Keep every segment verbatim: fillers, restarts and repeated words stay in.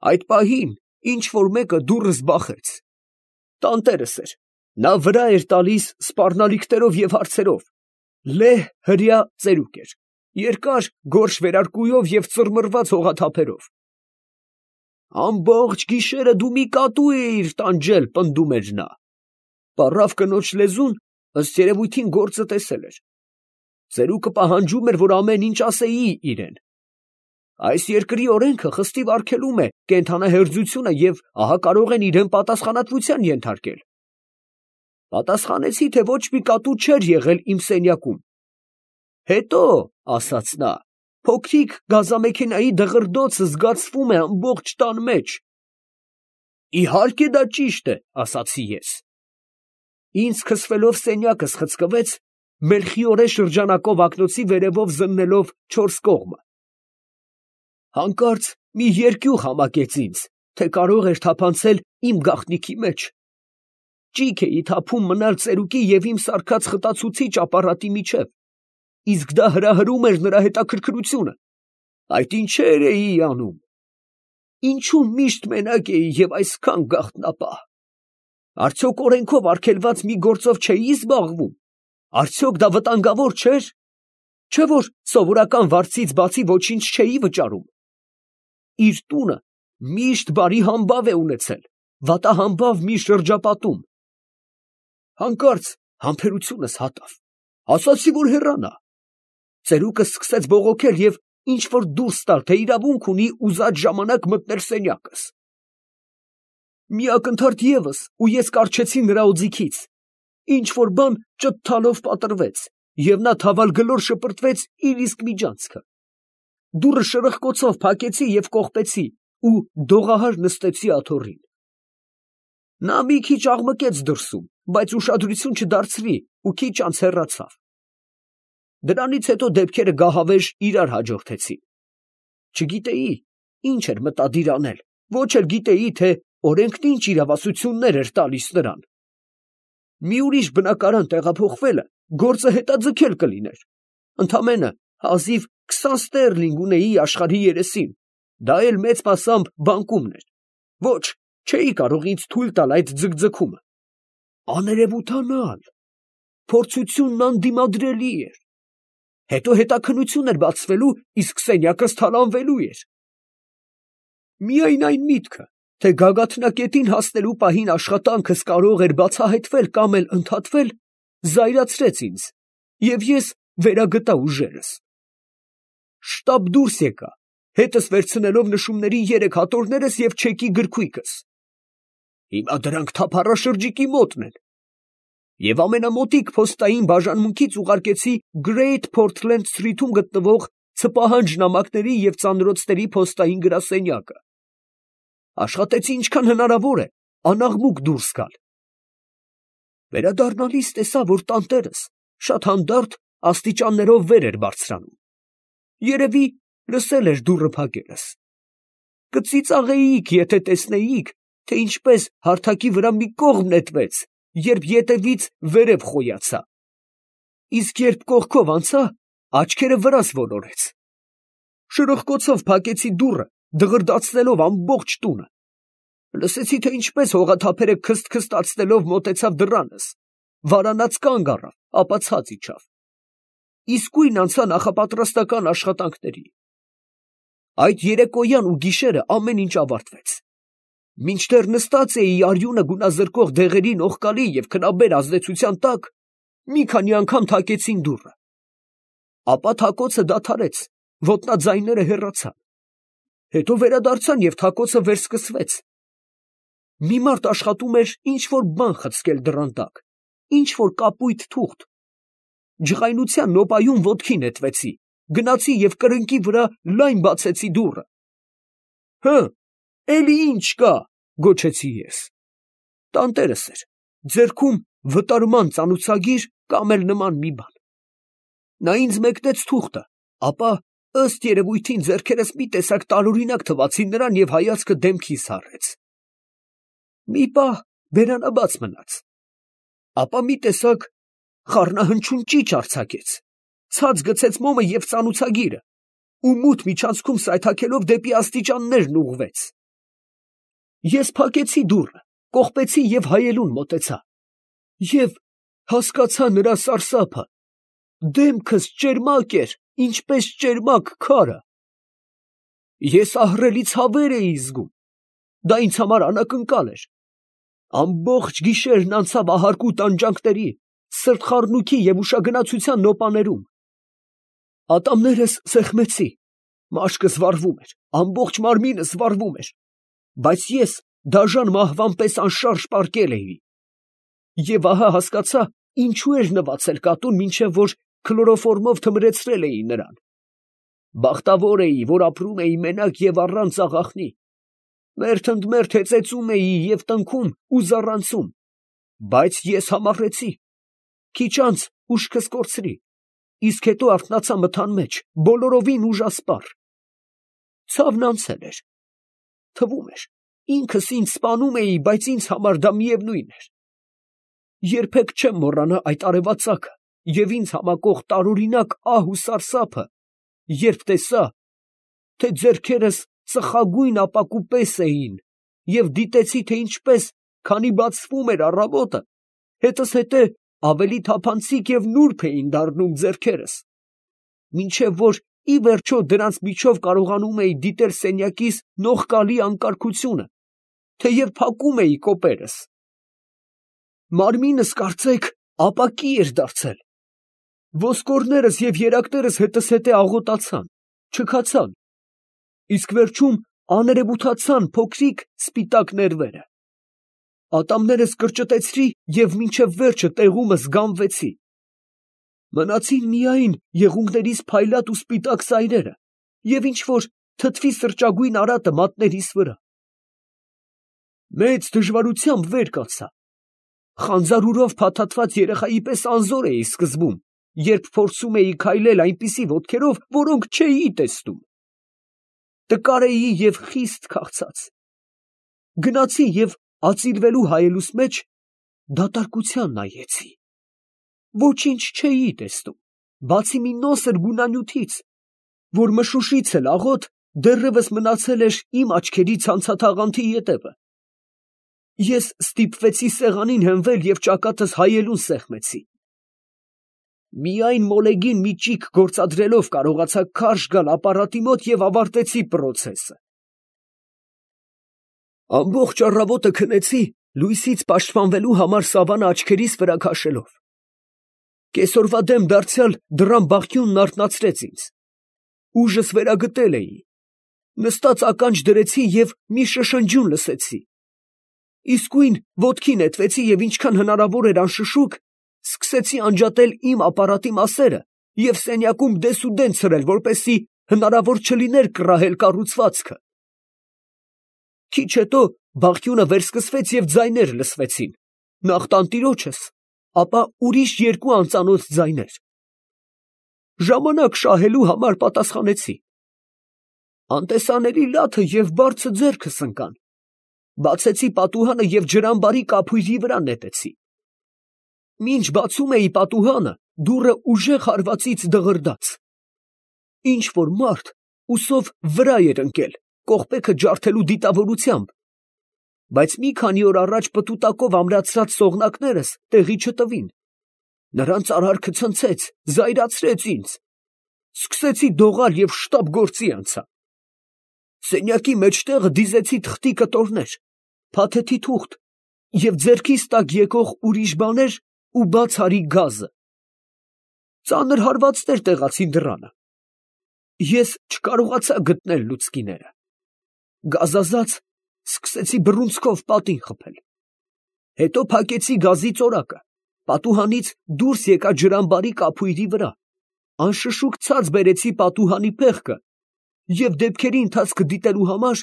Այդ պահին ինչ որ մեկը դուռս բախեց։ Տանտերս էր, նա վրա էր տալիս սպառնալիքներով և հարցերով, լեհ հրեա ծերուկ էր, երկար գորշ վերարկուով և ծռմռված հողաթափերով։ «Ամբողջ գիշերը դու մի կատու էիր տանջել», պնդում էր նա։ Պառավ կնոջ լեզուն, ըստ երևույթին, գործը տեսել էր։ Ծերուկը պահանջում էր, որ ամեն ինչ ասեի իրան։ Այս երկրի օրենքը խստիվ արգելում է կենդանահերձությունը և ահա կարող են իրան պատասխանատվության ենթարկել։ Պատասխանեցի, թե ոչ մի կատու չէր եղել իմ սենյակում։ Հետո, ասաց նա, փոքրիկ գազամեքենայի դղրդոցը զգացվում է ամբողջ տան մեջ։ Իհարկե դա ճիշտ է, ասացի ես։ Ինձ քսվելով սենյակս խցկվեց, մելխիորե շրջանակով ակնոցի վերևով զննելով չորս կողմը։ Հանկարծ մի երկյուղ համակեց ինձ, թե կարող էր թափանցել իմ գաղտնիքի մեջ։ Ճիգ էի թափում մնալ ծերուկի և իմ սարքած խտացուցիչ ապարատի միջև, իսկ դա հրահրում էր նրա հետաքրքրությունը։ Այդ ինչեր էի անում։ Ինչու միշտ մենակ էի և այսքան գաղտնապահ։ Արդյոք օրենքով արգելված մի գործով չէի զբաղվում։ Արդյոք դա վտանգավոր չէր։ Չէ՞ որ սովորական վարձից բացի ոչինչ չէի վճարում։ Իր տունը միշտ բարի համբավ է ունեցել, վատահամբավ մի շրջապատում։ Հանկարծ համբերությունս հատավ, ասացի, որ հեռանա։ Ծերուկը սկսեց բողոքել և ինչ որ դուրս տալ, թե իրավունք ունի ուզած ժամանակ մտնել սենյակս։ Մի ակնթարթ ևս, ու ես կառչեցի նրա օձիքից, ինչ որ բան ճթթալով պատռվեց, և նա թավալգլոր շպրտվեց իր իսկ միջանցքը։ Դուռը շրխկոցով փակեցի և կողպեցի ու դողահար նստեցի աթոռին։ Նա մի քիչ աղմկեց դրսում, բայց ուշադրություն չդարձրի ու քիչ անց հեռացավ։ Դրանից հետո դեպքերը գահավեժ իրար հաջորդեցին։ Չգիտեի ինչ էր մտադիր անել, ոչ էլ գիտեի, թե օրենքն ինչ իրավասություններ էր տալիս նրան։ Մի ուրիշ բնակարան տեղափոխվելը գործը հետաձգել կլիներ։ Ընդամենը հազիվ քսան ստերլինգ ունեի աշխարհի երեսին, դա էլ մեծ մասամբ բանկումն էր։ Ոչ, չէի կարող ինձ թույլ տալ այդ ձգձգումը։ Աներևութանալ, փորձությունն անդիմադրելի էր։ Հետո հետաքննություն էր բացվելու, իսկ սենյակս թալանվելու էր։ Միայն այն միտքը, թե գագաթնակետին հասնելու պահին աշխատանքս կարող էր բացահայտվել կամ էլ ընդհատվել, զայրացրեց ինձ, և ես վերագտա ուժերս։ Շտապ դուրս եկա, հետս վերցնելով նշումների երեք հատորներս և չեկի գրքույկս։ Հիմա դրանք թափառաշրջիկի մոտն են։ Եվ ամենամոտիկ փոստային բաժանմունքից ուղարկեցի Great Portland Street-ում գտնվող ցպահանջ նամակների և ծանրոցների փոստային գրասենյակը։ Աշխատեցի ինչքան հնարավոր է անաղմուկ դուրս գալ։ Վերադառնալիս տեսա, որ տանտերս շատ հանդարտ աստիճաններով վեր էր բարձրանում։ Երևի լսել էր դուռը փակելս։ Կծիծաղեիք, եթե տեսնեիք, թե ինչպես հարթակի վրա մի կողմ նետվեց, երբ ետևից վերև խոյացա։ Իսկ երբ կողքով անցա, աչքերը վրաս ոլորեց։ Շրխկոցով փակեցի դուռը, դղրդացնելով ամբողջ տունը։ Լսեցի, թե ինչպես հողաթափերը քսթքստացնելով մոտեցավ դռանս, վարանած կանգ առավ, ապա ցած իջավ։ Իսկույն անցա նախապատրաստական աշխատանքների։ Այդ երեկոյան ու գիշերը ամեն ինչ ավարտվեց։ Մինչդեռ նստած էի արյունը գունազրկող դեղերի նողկալի և քնաբեր ազդեցության տակ, մի քանի անգամ թակեցին դուռը։ Ապա թակոցը դադարեց, ոտնաձայները հեռացան։ Հետո վերադարձան և թակոցը վերսկսվեց։ Մի մարդ աշխատում էր ինչ որ բան խցկել դռան տակ, ինչ որ կապույտ թուղթ։ Ջղայնության նոպայում ոտքի նետվեցի, գնացի և կրկնակի վրա լայն բացեցի դուռը։ Հը, էլի ինչ կա, գոչեցի ես։ Տանտերս էր, ձեռքում վտարման ծանուցագիր կամ էլ նման մի բան։ Նա ինձ մեկնեց թուղթը, ապա ըստ երևույթին ձեռքերս մի տեսակ տարօրինակ թվացին նրան և հայացքը դեմքիս հառեց։ Մի պահ բերանաբաց մնաց, ապա մի տեսակ խառնահնչյուն ճիչ արձակեց, ցած գցեց մոմը և ծանուցագիրը ու մութ միջանցքում սայթաքելով դեպի աստիճաններն ուղղվեց։ Ես փակեցի դուռը, կողպեցի և հայելուն մոտեցա, և հասկացա նրա սարսափը. դեմքս ճերմակ էր, ինչպես ճերմակ քարը։ Ես ահռելի ցավեր էի զգում, դա ինձ համար անակնկալ էր։ Ամբողջ գիշերն անցավ ահարկու տանջանքների, սրտխառնոքի և ուշագնացության նոպաներում։ Ատամներս սեղմեցի, մաշկս վառվում էր, ամբողջ մարմինս վառվում էր, բայց ես դաժան մահվան պես անշարժ պառկել էի։ Եվ ահա հասկացա, ինչու էր նվացել կատուն, մինչև որ քլորոֆորմով թմրեցրել էին նրան։ Բախտավոր էի, որ ապրում էի մենակ և առանց աղախնի։ Մերթ ընդ մերթ հեծեծում էի և տնքում ու զառանցում, բայց ես համառեցի։ Քիչ անց ուշքս կորցրի, իսկ հետո արթնացա մթան մեջ, բոլորովին ուժասպառ։ Ցավն անցել էր։ Թվում էր, ինքս ինձ սպանում էի, բայց ինձ համար դա միևնույն էր։ Երբեք չեմ մոռանա այդ արևածագը և ինձ համակող տարօրինակ ահ ու սարսափը, երբ տեսա, թե ձեռքերս ծխագույն ապակու պես էին, և դիտեցի, թե ինչպես, քանի բացվում էր առավոտը, հետզհետե ավելի թափանցիկ և նուրբ էին դառնում ձեռքերս, մինչև որ ի վերջո դրանց միջով կարողանում էի դիտել սենյակիս նողկալի անկարգությունը, թեև փակում էի կոպերս։ Մարմինս, կարծեք, ապակի էր դարձել։ Ոսկորներս և երակներս հետզհետե աղոտացան, չքացան, իսկ վերջում աներևութացան փոքրիկ սպիտակ ներվերը։ Ատամներս կրճտեցրի և մինչև վերջը տեղումս գամվեցի։ Մնացին միայն եղունգներիս փայլատ ու սպիտակ սայրերը և ինչ֊որ թթվի սրճագույն արատը մատներիս վրա։ Մեծ դժվարությամբ վեր կացա։ Խանձարուրով փաթաթված երեխայի պես անզոր էի սկզբում, երբ փորձում էի քայլել այնպիսի ոտքերով, որոնք չէի տեսնում։ Տկար էի և խիստ քաղցած։ Գնացի և ածիլվելու հայելուս մեջ դատարկության նայեցի։ Ոչինչ չէի տեսնում, բացի մի նոսր գունանյութից, որ մշուշից էլ աղոտ դեռևս մնացել էր իմ աչքերի ցանցաթաղանթի ետևը։ Ես ստիպվեցի սեղանին հենվել և ճակատս հայելուն սեղմեցի։ Միայն մոլեգին մի ճիգ գործադրելով կարողացա քարշ գալ ապարատի մոտ և ավարտեցի պրոցեսը։ Ամբողջ առավոտը քնեցի, լույսից պաշտպանվելու համար սավանը աչքերիս վրա քաշելով։ Կեսօրվա դեմ դարձյալ դռան բախյունն արթնացրեց ինձ։ Ուժս վերագտել էի։ Նստած ականջ դրեցի և մի շշնջյուն լսեցի։ Իսկույն ոտքի նետվեցի և ինչքան հնարավոր էր անշշուկ սկսեցի անջատել իմ ապարատի մասերը և սենյակում դեսուդեն ցրել, որպեսզի հնարավոր չլիներ կռահել կառուցվածքը։ Քիչ հետո բախյունը վերսկսվեց և ձայներ լսվեցին, նախ տանտիրոջս, ապա ուրիշ երկու անծանոթ ձայներ։ Ժամանակ շահելու համար պատասխանեցի։ Անտեսանելի լաթը և բարձը ձեռքս ընկան։ Բացեցի պատուհանը և ջրամբարի կափույրի վրա նետեցի։ Մինչ բացում էի պատուհանը, դուռը ուժեղ հարվածից դղրդաց։ Ինչ֊որ մարդ ուսով վրա էր ընկել, կողպեքը ջարդելու դիտավորությամբ, բայց մի քանի օր առաջ պտուտակով ամրացրած սողնակներս տեղի չտվին։ Նրանց արարքը ցնցեց, զայրացրեց ինձ։ Սկսեցի դողալ և շտապ գործի անցա։ Սենյակի մեջտեղը դիզեցի թղթի կտորներ, փաթեթի թուղթ և ձեռքիս տակ եկող ուրիշ բաներ ու բացառիկ գազը։ Ծանր հարվածներ տեղացին դռանը։ Ես չկարողացա գտնել լուցկիները։ Գազազած սկսեցի բռունցքով պատին խփել։ Հետո փակեցի գազի ծորակը, պատուհանից դուրս եկա ջրամբարի կափույրի վրա, անշշուկ ցած բերեցի պատուհանի փեղկը և դեպքերի ընթացքը դիտելու համար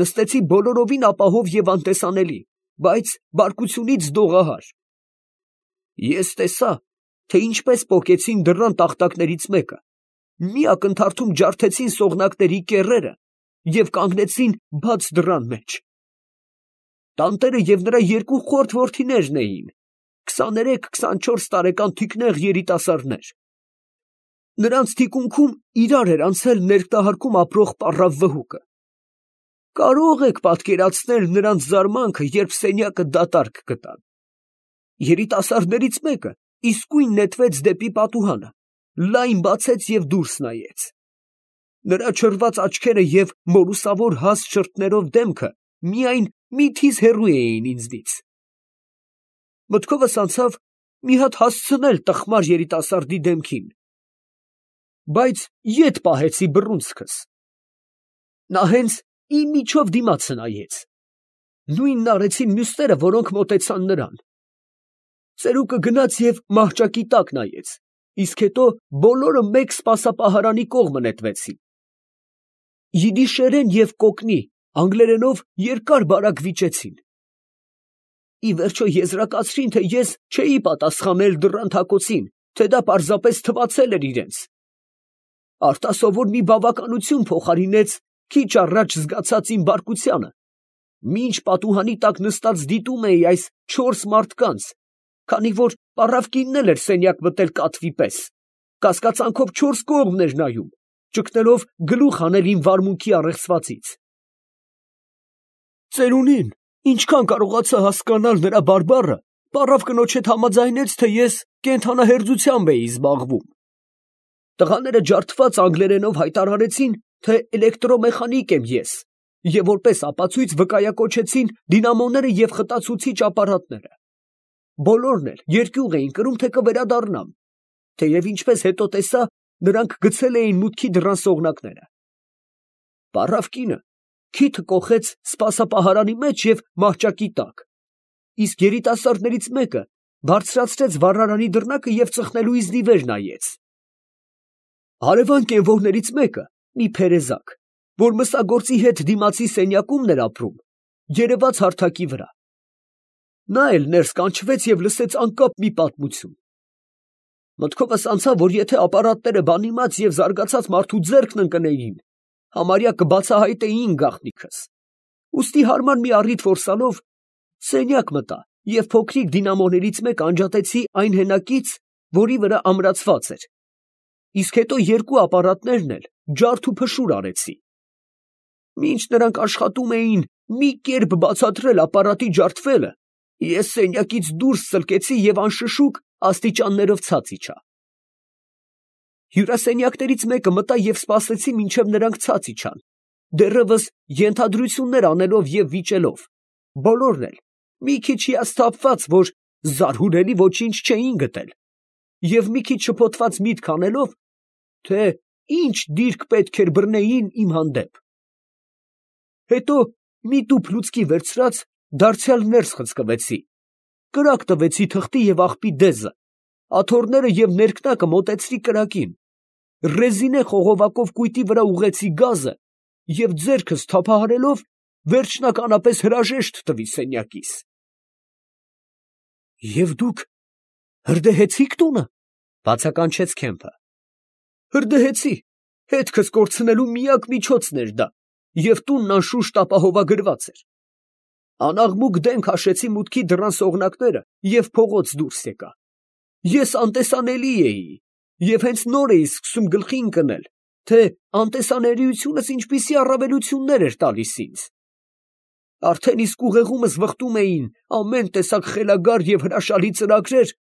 նստեցի բոլորովին ապահով և անտեսանելի, բայց բարկությունից դողահար։ Ես տեսա, թե ինչպես պոկեցին դռան տախտակներից մեկը, մի ակնթարթում ջարդեցին սողնակների կեռերը և կանգնեցին բաց դռան մեջ։ Տանտերը և նրա երկու խորթ որդիներն էին, քսաներեք֊քսանչորս տարեկան թիկնեղ երիտասարդներ։ Նրանց թիկունքում իրար էր անցել ներկտահարկում ապրող պառավ վհուկը։ Կարող եք պատկերացնել նրանց զարմանքը, երբ սենյակը դատարկ գտան։ Երիտասարդներից մեկը իսկույն նետվեց դեպի պատուհանը, լայն բացեց և դուրս նայեց։ Նրա չռված աչքերը և մորուսավոր հաստ շրթներով դեմքը միայն միթիզ հեռու էին ինձնից։ Մտքովս անցավ մի հատ հասցնել տխմար երիտասարդի դեմքին, բայց ետ պահեցի բռունցքս։ Նա հենց իմ միջով դիմացը նայեց։ Նույնն արեցին մյուսները, որոնք մոտեցան նրան։ Ծերուկը գնաց և մահճակի տակ նայեց, իսկ հետո բոլորը մեկ սպասապահարանի կողմը նետվեցին։ Յիդիշերեն և կոկնի անգլերենով երկար֊բարակ վիճեցին։ Ի վերջո եզրակացրին, թե ես չէի պատասխանել դռան թակոցին, թե դա պարզապես թվացել էր իրենց։ Արտասովոր մի բավականություն փոխարինեց քիչ առաջ զգացած իմ բարկությանը, մինչ պատուհանի տակ նստած դիտում էի այս չորս մարդկանց, քանի որ պառավկինն էլ էր սենյակ մտել կատվի պես, կասկածանքով չորս կողմն էր նայում, ճգնելով գլուխ հանել իմ վարմունքի առեղծվածից։ Ծերունին, ինչքան կարողացա հասկանալ նրա բարբառը, պառավ կնոջ հետ համաձայնեց, թե ես կենդանահերձությամբ էի զբաղվում։ Տղաները ջարդված անգլերենով հայտարարեցին, թե էլեկտրոմեխանիկ եմ ես, և որպես ապացույց վկայակոչեցին դինամոները և խտացուցիչ ապարատները։ Բոլորն էլ երկյուղ էին կրում, թե կվերադառնամ, թեև ինչպես հետո տեսա, նրանք գցել էին մուտքի դռան սողնակները։ Պառավ կինը քիթը կոխեց սպասապահարանի մեջ և մահճակի տակ, իսկ երիտասարդներից մեկը բարձրացրեց վառարանի դռնակը և ծխնելու իզնի վեր նայեց։ Հարևան կենվորներից մեկը, մի փերեզակ, որ մսագործի հետ դիմացի սենյակումն էր ապրում, երևաց հարթակի վրա։ Նա էլ ներս կանչվեց և լսեց անկապ մի պատմություն։ Մտքովս անցավ, որ եթե ապարատները բանիմաց և զարգացած մարդու ձեռքն ընկնեին, համարյա կբացահայտեին գաղտնիքս։ Ուստի հարմար մի առիթ որսալով, սենյակ մտա և փոքրիկ դինամոներից մեկը անջատեցի այն հենակից, որի վրա ամրացված էր, իսկ հետո երկու ապարատներն էլ ջարդ ու փշուր արեցի։ Մինչ նրանք աշխատում էին մի կերպ բացատրել ապարատի ջարդվելը, ես սենյակից դուրս ծլկեցի և անշշուկ աստիճաններով ցած իջա։ Հյուրասենյակներից մեկը մտա և սպասեցի, մինչև նրանք ցած իջան, դեռևս ենթադրություններ անելով և վիճելով, բոլորն էլ մի քիչ հիասթափված, որ զարհուրելի ոչինչ չէին գտել, և մի քիչ շփոթված միտք անելով, թե ինչ դիրք պետք էր բռնեին իմ հանդեպ։ Հետո մի տուփ լուցկի վերցրած, դարձյալ ներս խցկվեցի, կրակ տվեցի թղթի և աղբի դեզը, աթոռները և ներքնակը մոտեցրի կրակին, ռեզինե խողովակով կույտի վրա ուղղեցի գազը և ձեռքս թափահարելով վերջնականապես հրաժեշտ տվի սենյակիս։ ֊ Եվ դուք հրդեհեցի՞ք տունը, ֊ բացականչեց Քեմփը։ ֊ Հրդեհեցի, հետքս կորցնելու միակ միջոցն էր դա, և տունն անշուշտ ապահովագրված էր։ Անաղմուկ դեմք հաշեցի մուտքի դռան սողնակները և փողոց դուրս եկա։ Ես անտեսանելի էի և հենց նոր էի սկսում գլխի ընկնել, թե անտեսանելիությունս ինչպիսի առավելություններ էր տալիս ինձ։ Արդեն իսկ ուղեղումս վխտում էին ամեն տեսակ խելագար և հրաշալի ծրագրեր,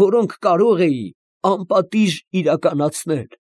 որոնք կարող էի անպատիժ իրականացնել։